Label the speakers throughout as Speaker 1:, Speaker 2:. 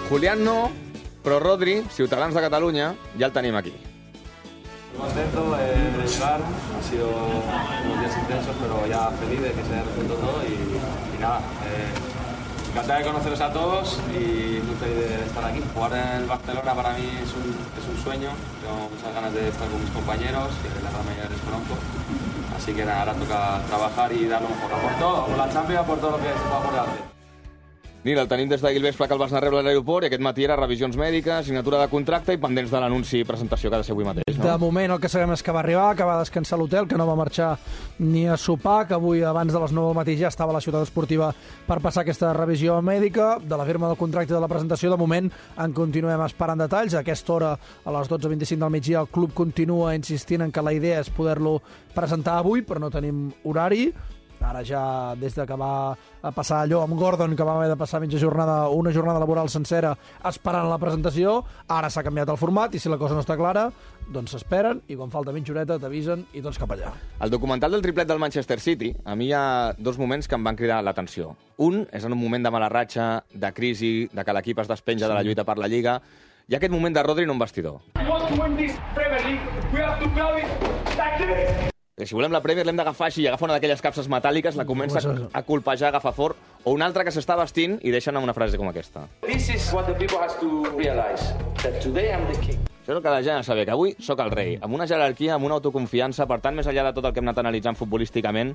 Speaker 1: Julián no, però Rodri, Ciutadans de Catalunya, ja el tenim aquí.
Speaker 2: Contento de llegar, han sido unos días intensos, pero ya feliz de que se haya resuelto todo y nada, encantado de conoceros a todos y muy feliz de estar aquí. Jugar en el Barcelona para mí es un sueño, tengo muchas ganas de estar con mis compañeros, que la gran mayoría les conozco, así que nada, ahora toca trabajar y dar lo mejor, por todo, por la Champions, por todo lo que se pueda por delante.
Speaker 1: Nil, el tenim des d'ahir al vespre que el vas anar a rebre a l'aeroport i aquest matí era revisions mèdiques, signatura de contracte i pendents de l'anunci i presentació que ha de ser avui mateix, no?
Speaker 3: De moment el que sabem és que va arribar, que va descansar a l'hotel, que no va marxar ni a sopar, que avui abans de les 9 del matí ja estava a la ciutat esportiva per passar aquesta revisió mèdica. De la firma del contracte i de la presentació, de moment en continuem esperant detalls. A aquesta hora, a les 12:25 del migdia, el club continua insistint en que la idea és poder-lo presentar avui, però no tenim horari. Ara ja, des de que va passar allò amb Gordon, que va haver de passar una jornada laboral sencera esperant la presentació, ara s'ha canviat el format i si la cosa no està clara, doncs s'esperen i quan falta mitja horeta t'avisen i tots cap allà.
Speaker 1: El documental del triplet del Manchester City, a mi hi ha dos moments que em van cridar l'atenció. Un és en un moment de mala ratxa, de crisi, de que l'equip es despenja de la lluita per la Lliga, i aquest moment de Rodri en un vestidor. Si volem la Premier l'hem d'agafar així, i agafa una d'aquelles capses metàl·liques, la comença a colpejar, agafa fort, o un altre que s'està vestint i deixa anar una frase com aquesta.
Speaker 4: This is what the people has to realize, that today I'm the king.
Speaker 1: Això és el que la gent ha de saber, que avui sóc el rei, amb una jerarquia, amb una autoconfiança, per tant, més enllà de tot el que hem anat analitzant futbolísticament,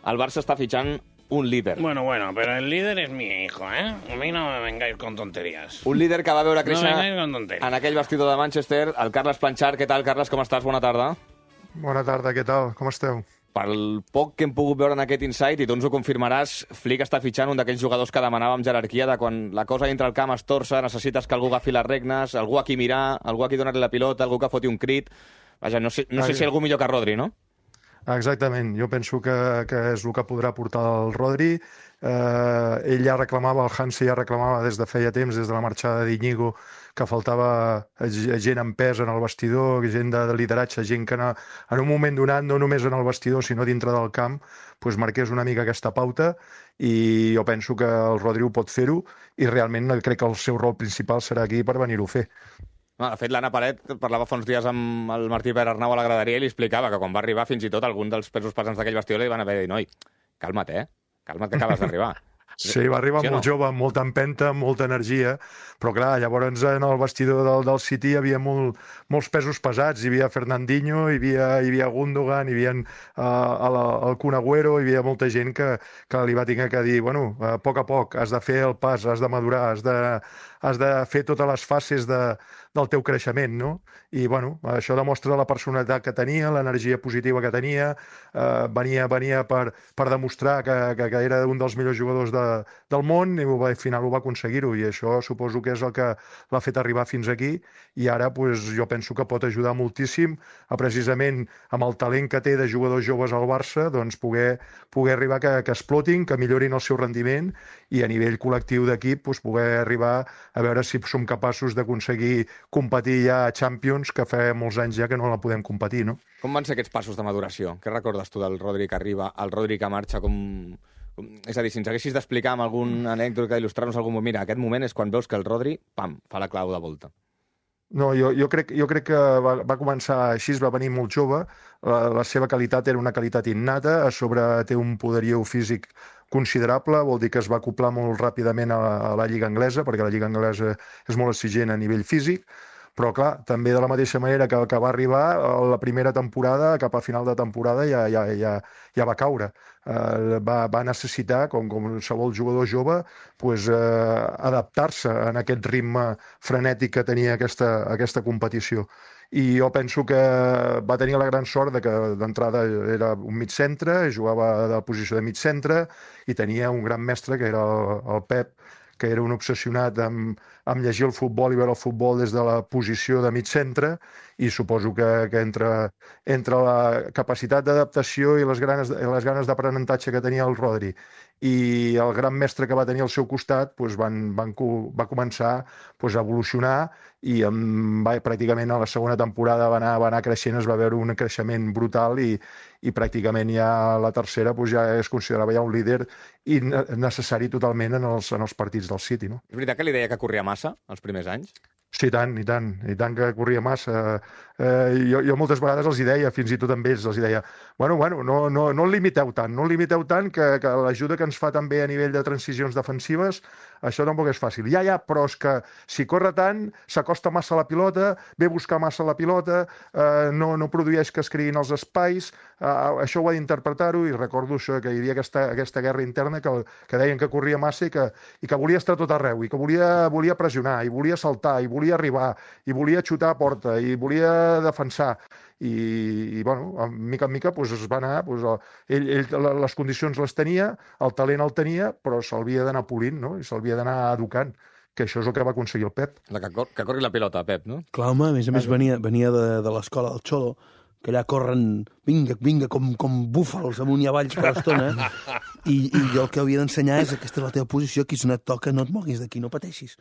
Speaker 1: el Barça està fitxant un líder.
Speaker 5: Bueno, pero el líder es mi hijo, ¿eh? A mí no me vengáis con tonterías.
Speaker 1: Un líder que va veure créixer
Speaker 5: No vengáis con tonterías.
Speaker 1: en aquell vestidor de Manchester, el Carles Planchar. Què tal, Carles, com estàs? Bona tarda.
Speaker 6: Bona tarda, què tal? Com esteu?
Speaker 1: Pel poc que hem pogut veure en aquest Insight, i tu ens ho confirmaràs, Flick està fitxant un d'aquells jugadors que demanàvem jerarquia, de quan la cosa dintre el camp es torça, necessites que algú agafi les regnes, algú a qui mirar, algú a qui donar-li la pilota, algú que foti un crit. Vaja, no sé si algú millor que Rodri, no?
Speaker 6: Exactament, jo penso que és el que podrà portar el Rodri. Ell ja reclamava, el Hansi ja reclamava des de feia temps, des de la marxada d'Iñigo, que faltava gent amb pes en el vestidor, gent de lideratge, gent que en un moment donat, no només en el vestidor, sinó dintre del camp, doncs marqués una mica aquesta pauta, i jo penso que el Rodri ho pot fer-ho, i realment crec que el seu rol principal serà aquí per venir-ho a fer.
Speaker 1: De fet, l'Anna Paret parlava fa uns dies amb el Martí Pere Arnau a la graderia i li explicava que quan va arribar, fins i tot algun dels pesos pesants d'aquell vestidor li van haver de dir: noi, calma't, calma't que acabes d'arribar.
Speaker 6: Sí, va arribar molt jove, amb molta empenta, amb molta energia, però clar, llavors en el vestidor del City hi havia molts pesos pesats, hi havia Fernandinho, hi havia Gundogan, hi havia el Kun Agüero, hi havia molta gent que li va tenir que dir, bueno, a poc, has de fer el pas, has de madurar, has de fer totes les fases del teu creixement, no? I, bueno, això demostra la personalitat que tenia, l'energia positiva que tenia, venia per demostrar que era un dels millors jugadors del món, i al final ho va aconseguir-ho, i això suposo que és el que l'ha fet arribar fins aquí, i ara jo penso que pot ajudar moltíssim a, precisament, amb el talent que té de jugadors joves al Barça, doncs poder arribar que explotin, que millorin el seu rendiment, i a nivell col·lectiu d'equip poder arribar a veure si som capaços d'aconseguir competir ja a Champions, que fa molts anys ja que no la podem competir, no?
Speaker 1: Com van ser aquests passos de maduració? Què recordes tu del Rodri que arriba, al Rodri que marxa? És a dir, si ens haguessis d'explicar amb algun anècdota, il·lustrar-nos algun moment, mira, aquest moment és quan veus que el Rodri, pam, fa la clau de volta.
Speaker 6: No, jo crec que va començar així, va venir molt jove, la seva qualitat era una qualitat innata, a sobre té un poderiu físic considerable, vol dir que es va acoplar molt ràpidament a la Lliga Anglesa, perquè la Lliga Anglesa és molt exigent a nivell físic, però clar, també de la mateixa manera que va arribar, la primera temporada, cap a final de temporada, ja va caure. Va necessitar, com qualsevol jugador jove, adaptar-se a aquest ritme frenètic que tenia aquesta competició. I jo penso que va tenir la gran sort de que d'entrada era un mig centre, jugava de la posició de mig centre, i tenia un gran mestre, que era el Pep, que era un obsessionat amb llegir el futbol i veure el futbol des de la posició de mig centre, i suposo que entre la capacitat d'adaptació i les ganes d'aprenentatge que tenia el Rodri i el gran mestre que va tenir al seu costat, va començar a evolucionar, i pràcticament a la segona temporada va anar creixent, es va veure un creixement brutal, i i pràcticament ja la tercera ja es considerava ja un líder i necessari totalment en els partits del City, no?
Speaker 1: És veritat que li deia que corria massa els primers anys?
Speaker 6: Sí, i tant que corria massa. Jo moltes vegades els hi deia, fins i tot amb ells, els hi deia, bueno, no el limiteu tant, que l'ajuda que ens fa també a nivell de transicions defensives, això tampoc és fàcil. Ja, però és que si corre tant, s'acosta massa a la pilota, ve a buscar massa la pilota, no produeix que es creïn els espais, això ho ha d'interpretar-ho, i recordo això, que hi havia aquesta guerra interna que deien que corria massa i que volia estar tot arreu, i que volia pressionar, i volia saltar, i volia arribar, i volia xutar a porta, i volia defensar. I bueno, mica en mica es va anar, ell les condicions les tenia, el talent el tenia, però s'havia d'anar polint, no? I s'havia d'anar educant, que això és el que va aconseguir el Pep.
Speaker 1: Que corri la pilota, Pep, no?
Speaker 7: Clar, home, a més venia de l'escola del Xolo, que allà corren, vinga, com búfals amunt i avall per l'estona, i jo el que havia d'ensenyar és aquesta és la teva posició, aquí si no et toca no et moguis d'aquí, no pateixis.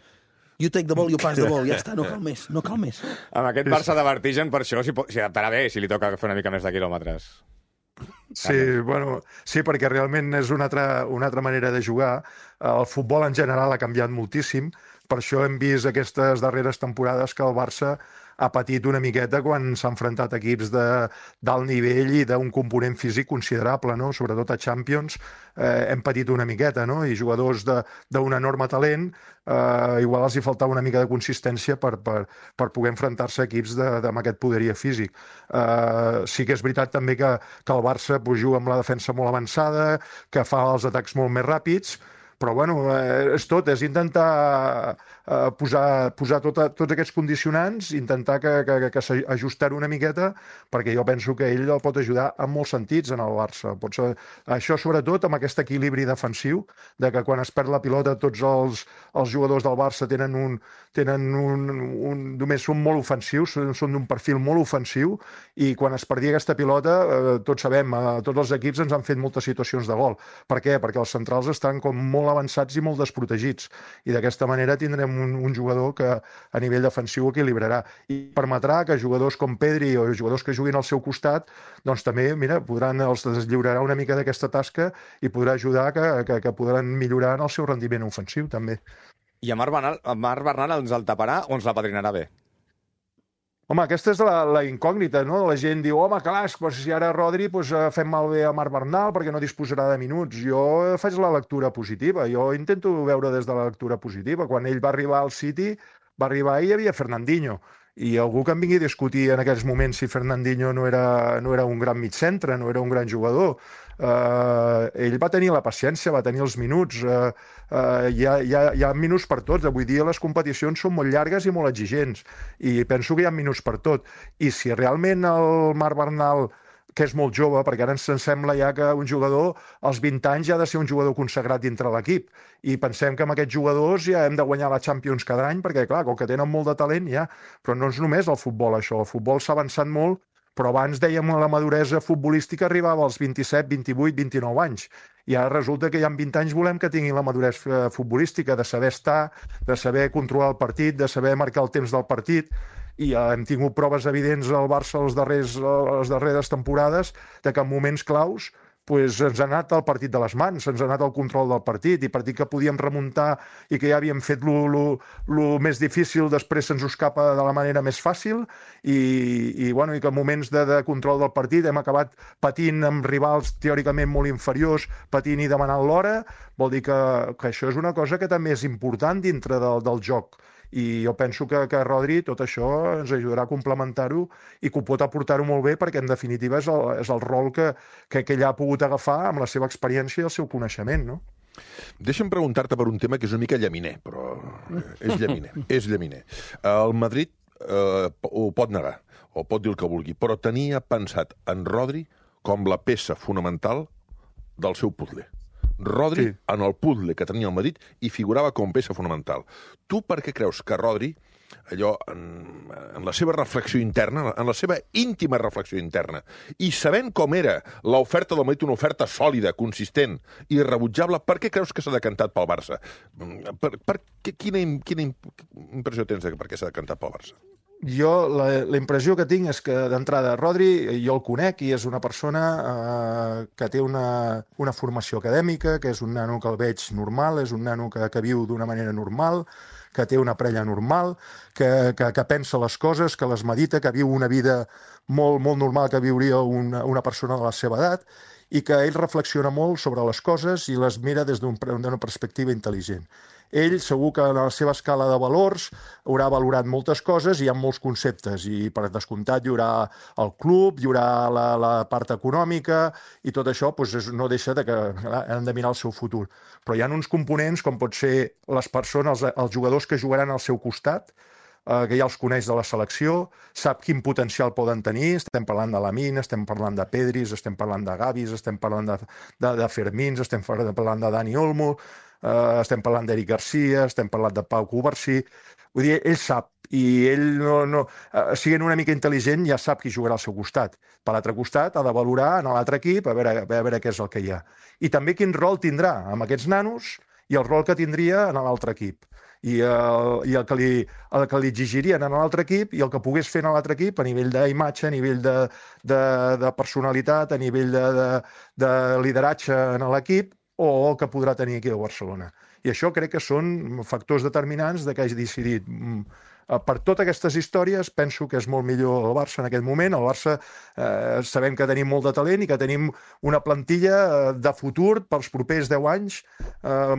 Speaker 7: You take the ball, you pass the ball, ja està, no cal més.
Speaker 1: Amb aquest Barça de vertigen, per això s'hi adaptarà bé si li toca fer una mica més de quilòmetres.
Speaker 6: Sí, perquè realment és una altra manera de jugar. El futbol en general ha canviat moltíssim, per això hem vist aquestes darreres temporades que el Barça ha patit una miqueta quan s'ha enfrontat equips d'alt nivell i d'un component físic considerable, no? Sobretot a Champions hem patit una miqueta, no? I jugadors d'un enorme talent, igual els hi faltava una mica de consistència per poder enfrontar-se a equips amb aquest poderia físic. Sí que és veritat també que el Barça juga amb la defensa molt avançada, que fa els atacs molt més ràpids, però bueno, és intentar posar tots aquests condicionants, intentar que s'ajustar una miqueta, perquè jo penso que ell el pot ajudar en molts sentits en el Barça. Això sobretot amb aquest equilibri defensiu, de que quan es perd la pilota tots els jugadors del Barça només són molt ofensius, són d'un perfil molt ofensiu, i quan es perdia aquesta pilota, tots sabem, tots els equips ens han fet moltes situacions de gol. Per què? Perquè els centrals estan com molt avançats i molt desprotegits, i d'aquesta manera tindrem un jugador que a nivell defensiu equilibrarà i permetrà que jugadors com Pedri o jugadors que juguin al seu costat doncs també, mira, els deslliurarà una mica d'aquesta tasca i podrà ajudar que podran millorar en el seu rendiment ofensiu també.
Speaker 1: I a Marc Bernal ens el taparà o ens la padrinarà bé?
Speaker 6: Home, aquesta és la incògnita, no? La gent diu, home, clar, si ara Rodri fem malbé a Marc Bernal perquè no disposarà de minuts. Jo faig la lectura positiva, jo intento veure des de la lectura positiva. Quan ell va arribar al City, va arribar i hi havia Fernandinho. I algú que em vingui a discutir en aquells moments si Fernandinho no era un gran mitjcentre, no era un gran jugador. Ell va tenir la paciència, va tenir els minuts. Hi ha minuts per tots. Avui dia les competicions són molt llargues i molt exigents. I penso que hi ha minuts per tot. I si realment el Marc Bernal, que és molt jove, perquè ara ens sembla ja que un jugador als 20 anys ja ha de ser un jugador consagrat dintre l'equip. I pensem que amb aquests jugadors ja hem de guanyar la Champions cada any, perquè clar, com que tenen molt de talent ja, però no és només el futbol això, el futbol s'ha avançat molt, però abans dèiem que la maduresa futbolística arribava als 27, 28, 29 anys. I ara resulta que ja amb 20 anys volem que tinguin la maduresa futbolística, de saber estar, de saber controlar el partit, de saber marcar el temps del partit. I hem tingut proves evidents al Barça les darreres temporades de que en moments claus ens ha anat el partit de les mans, ens ha anat el control del partit, i partit que podíem remuntar i que ja havíem fet lo més difícil, després se'ns escapa de la manera més fàcil, i que en moments de control del partit hem acabat patint amb rivals teòricament molt inferiors, patint i demanant l'hora. Vol dir que això és una cosa que també és important dintre del joc. I jo penso que Rodri tot això ens ajudarà a complementar-ho i que ho pot aportar-ho molt bé, perquè en definitiva és el rol que ell ha pogut agafar amb la seva experiència i el seu coneixement, no?
Speaker 8: Deixa'm preguntar-te per un tema que és una mica llaminer, però és llaminer. El Madrid ho pot negar, o pot dir el que vulgui, però tenia pensat en Rodri com la peça fonamental del seu puzzle. Rodri, en el puzzle que tenia el Madrid, hi figurava com peça fonamental. Tu per què creus que Rodri, allò, en la seva reflexió interna, en la seva íntima reflexió interna, i sabent com era l'oferta del Madrid, una oferta sòlida, consistent i irrebutjable, per què creus que s'ha decantat pel Barça? Quina impressió tens de per què s'ha decantat pel Barça?
Speaker 6: Jo la impressió que tinc és que d'entrada Rodri jo el conec i és una persona que té una formació acadèmica, que és un nano que el veig normal, és un nano que viu d'una manera normal, que té una parella normal, que pensa les coses, que les medita, que viu una vida molt, molt normal que viuria una persona de la seva edat i que ell reflexiona molt sobre les coses i les mira des d'una perspectiva intel·ligent. Ell segur que en la seva escala de valors haurà valorat moltes coses i hi ha molts conceptes i per descomptat hi haurà el club, hi haurà la part econòmica i tot això doncs, no deixa de que han de mirar el seu futur. Però hi ha uns components com pot ser les persones, els jugadors que jugaran al seu costat, que ja els coneix de la selecció, sap quin potencial poden tenir, estem parlant de Lamine, estem parlant de Pedris, estem parlant de Gavis, estem parlant de Fermins, estem parlant de Dani Olmo, estem parlant d'Eric Garcia, estem parlant de Pau Covarsí. Vull dir, ell sap, i ell siguent una mica intel·ligent ja sap qui jugarà al seu costat. Per l'altre costat ha de valorar en l'altre equip a veure què és el que hi ha. I també quin rol tindrà amb aquests nanos i el rol que tindria en l'altre equip. I el que li exigirien en l'altre equip i el que pogués fer en l'altre equip a nivell d'imatge, a nivell de personalitat, a nivell de lideratge en l'equip o el que podrà tenir aquí a Barcelona. I això crec que són factors determinants de que hagi decidit. Per totes aquestes històries penso que és molt millor el Barça en aquest moment. El Barça sabem que tenim molt de talent i que tenim una plantilla de futur pels propers 10 anys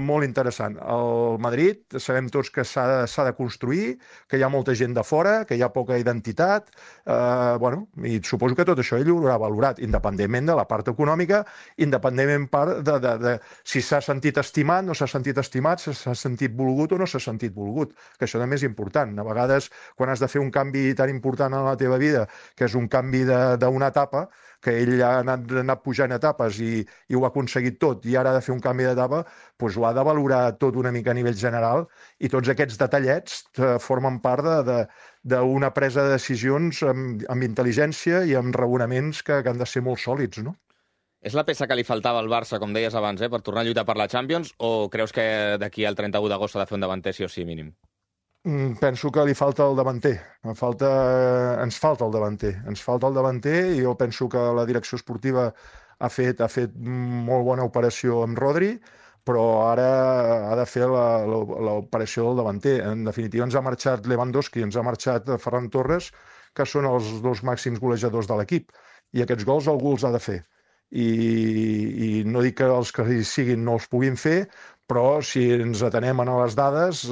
Speaker 6: molt interessant. El Madrid sabem tots que s'ha de construir, que hi ha molta gent de fora, que hi ha poca identitat, i suposo que tot això ell ho haurà valorat, independentment de la part econòmica, independentment de si s'ha sentit estimat, no s'ha sentit estimat, si s'ha sentit volgut o no s'ha sentit volgut, que això també és important. A vegades, quan has de fer un canvi tan important en la teva vida, que és un canvi d'una etapa, que ell ha anat pujant etapes i ho ha aconseguit tot, i ara ha de fer un canvi d'etapa, doncs ho ha de valorar tot una mica a nivell general, i tots aquests detallets formen part d'una presa de decisions amb intel·ligència i amb raonaments que han de ser molt sòlids, no?
Speaker 1: És la peça que li faltava al Barça, com deies abans, per tornar a lluitar per la Champions, o creus que d'aquí al 31 d'agost s'ha de fer un davanter sí o sí mínim?
Speaker 6: Penso que li falta el davanter. Ens falta el davanter. Ens falta el davanter i jo penso que la direcció esportiva ha fet molt bona operació amb Rodri, però ara ha de fer l'operació del davanter. En definitiva, ens ha marxat Lewandowski, ens ha marxat Ferran Torres, que són els dos màxims golejadors de l'equip. I aquests gols algú els ha de fer. I no dic que els que hi siguin no els puguin fer, però si ens atenem a les dades,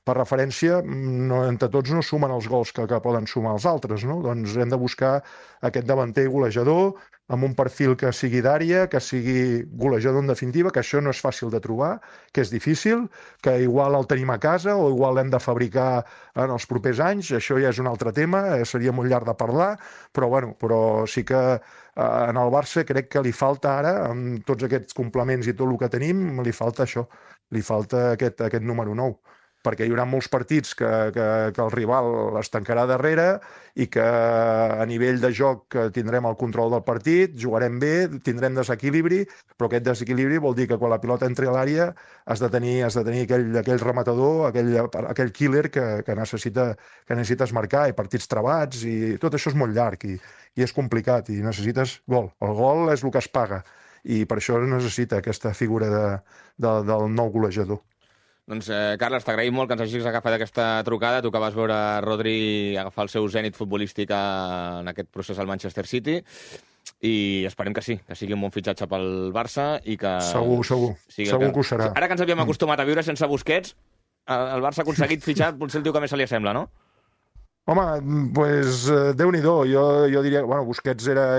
Speaker 6: per referència, entre tots no sumen els gols que poden sumar els altres, no? Doncs hem de buscar aquest davanter golejador amb un perfil que sigui d'àrea, que sigui golejador en definitiva, que això no és fàcil de trobar, que és difícil, que igual el tenim a casa o igual l'hem de fabricar en els propers anys, això ja és un altre tema, seria molt llarg de parlar, però sí que en el Barça crec que li falta ara, amb tots aquests complements i tot el que tenim, li falta això, li falta aquest número 9. Perquè hi haurà molts partits que el rival es tancarà darrere i que a nivell de joc tindrem el control del partit, jugarem bé, tindrem desequilibri, però aquest desequilibri vol dir que quan la pilota entri a l'àrea has de tenir aquell rematador, aquell killer que necessites marcar, i partits trebats, i tot això és molt llarg i és complicat, i necessites gol. El gol és el que es paga, i per això necessita aquesta figura del nou golejador.
Speaker 1: Doncs, Carles, t'agraïm molt que ens hagis agafat aquesta trucada, tu que vas veure Rodri agafar el seu zènit futbolístic en aquest procés al Manchester City, i esperem que sí, que sigui un bon fitxatge pel Barça i que...
Speaker 6: Segur que ho serà.
Speaker 1: Ara que ens havíem acostumat a viure sense Busquets, el Barça ha aconseguit fitxar potser el tio que més se li assembla, no?
Speaker 6: Home, doncs Déu-n'hi-do. Jo diria que Busquets era,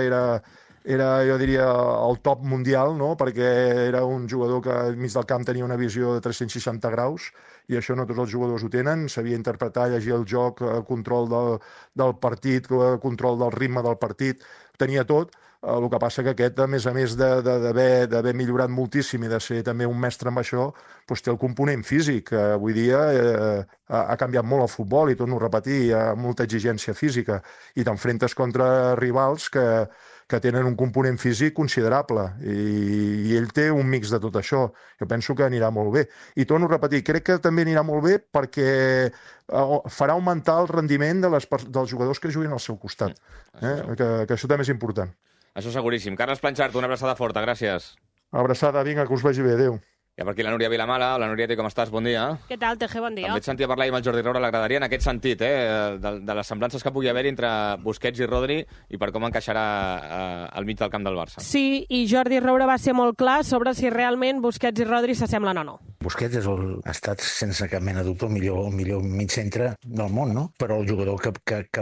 Speaker 6: jo diria, el top mundial, no? Perquè era un jugador que al mig del camp tenia una visió de 360 graus, i això no tots els jugadors ho tenen. Sabia interpretar, llegir el joc, control del partit, control del ritme del partit, tenia tot. El que passa que aquest, a més d'haver millorat moltíssim i de ser també un mestre amb això, doncs té el component físic. Avui dia ha canviat molt el futbol, i torno a repetir, hi ha molta exigència física, i t'enfrentes contra rivals que que tenen un component físic considerable i ell té un mix de tot això. Jo penso que anirà molt bé. I torno a repetir, crec que també anirà molt bé perquè farà augmentar el rendiment dels jugadors que juguin al seu costat. Que això també és important.
Speaker 1: Això seguríssim. Carles Planxart, una abraçada forta, gràcies.
Speaker 6: Abraçada, vinga, que us vagi bé, adéu.
Speaker 1: Hi ha per aquí la Núria Vilamala. La Núria, com estàs? Bon dia.
Speaker 9: Què tal, TG? Bon dia.
Speaker 1: També et sentia parlar amb el Jordi Roura, l'agradaria en aquest sentit, de les semblances que pugui haver entre Busquets i Rodri i per com encaixarà al mig del camp del Barça.
Speaker 9: Sí, i Jordi Roura va ser molt clar sobre si realment Busquets i Rodri s'assemblen o no.
Speaker 10: Busquets ha estat, sense cap mena de dubte, el millor mig centre del món, no? Però el jugador que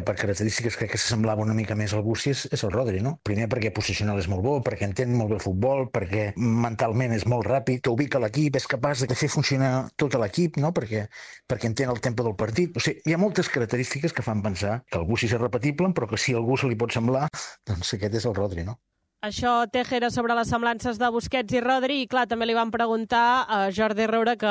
Speaker 10: per característiques crec que s'assemblava una mica més al Bussi és el Rodri, no? Primer perquè posicional és molt bo, perquè entén molt bé el futbol, perquè mentalment és molt ràpid, que ubica l'equip, és capaç de fer funcionar tot l'equip, no? Perquè entén el tempo del partit. O sigui, hi ha moltes característiques que fan pensar que el Bussi és repetible, però que si a algú se li pot semblar, doncs aquest és el Rodri, no?
Speaker 9: Això, Teje, era sobre les semblances de Busquets i Rodri, i clar, també li van preguntar a Jordi Roura, que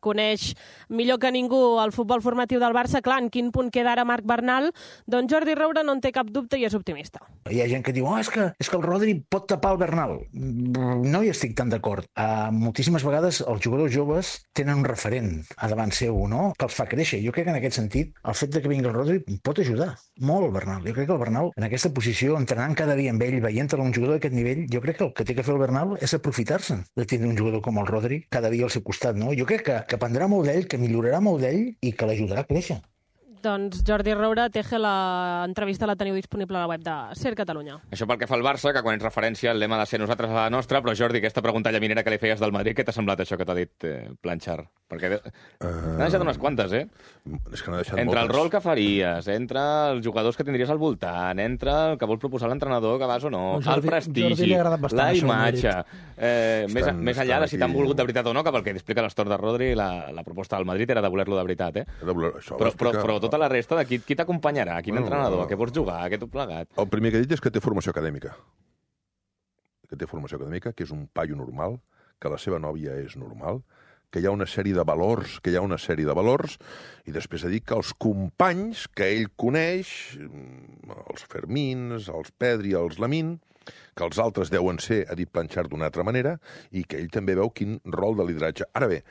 Speaker 9: coneix millor que ningú el futbol formatiu del Barça, clar, en quin punt queda ara Marc Bernal, doncs Jordi Roura no en té cap dubte i és optimista.
Speaker 10: Hi ha gent que diu, és que el Rodri pot tapar el Bernal. No hi estic tan d'acord. Moltíssimes vegades els jugadors joves tenen un referent a davant seu, no?, que els fa créixer. Jo crec que en aquest sentit, el fet de que vingui el Rodri pot ajudar molt el Bernal. Jo crec que el Bernal, en aquesta posició, entrenant cada dia amb ell, veient-lo un jugador d'aquest nivell, jo crec que el que té que fer el Bernal és aprofitar-se de tindre un jugador com el Rodri cada dia al seu costat, no? Jo crec que aprendrà molt d'ell, que millorarà molt d'ell i que l'ajudarà a créixer.
Speaker 9: Doncs Jordi Roura, Teje, l'entrevista la teniu disponible a la web de Ser Catalunya.
Speaker 1: Això pel que fa al Barça, que quan ets referència el lema ha de ser nosaltres a la nostra, però Jordi, aquesta pregunta llaminera que li feies del Madrid, què t'ha semblat això que t'ha dit Planxart? Perquè n'ha deixat unes quantes,
Speaker 8: És que n'ha deixat
Speaker 1: entre
Speaker 8: moltes.
Speaker 1: el rol que faries, entre els jugadors que tindries al voltant, entre el que vol proposar l'entrenador, que vas o no, el prestigi, la imatge, més enllà de si t'han volgut de veritat o no, que pel que explica l'Astor de Rodri, la proposta del Madrid era de voler-lo de veritat, però tota la resta, qui t'acompanyarà? Quin entrenador? A què pots jugar? A què tot plegat?
Speaker 8: El primer que he dit és que té formació acadèmica. Que és un paio normal, que la seva nòvia és normal, que hi ha una sèrie de valors, i després he dit que els companys que ell coneix, els Fermins, els Pedri, els Lamín, que els altres deuen ser, ha dit Planxart d'una altra manera, i que ell també veu quin rol de lideratge. Ara bé,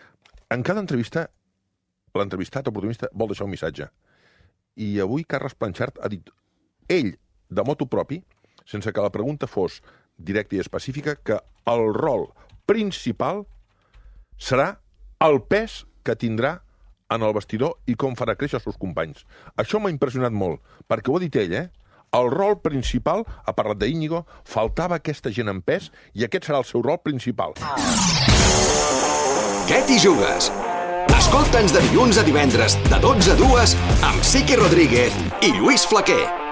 Speaker 8: en cada entrevista, l'entrevistat, el protagonista, vol deixar un missatge. I avui Carles Planxart ha dit, ell, de motu propi, sense que la pregunta fos directa i específica, que el rol principal serà el pes que tindrà en el vestidor i com farà créixer els seus companys. Això m'ha impressionat molt, perquè ho ha dit ell, El rol principal, ha parlat d'Íñigo, faltava aquesta gent en pes i aquest serà el seu rol principal.
Speaker 11: Què t'hi jugues? Escolta'ns de dilluns a divendres, de 12 a 2, amb Siqui Rodríguez i Lluís Flaquer.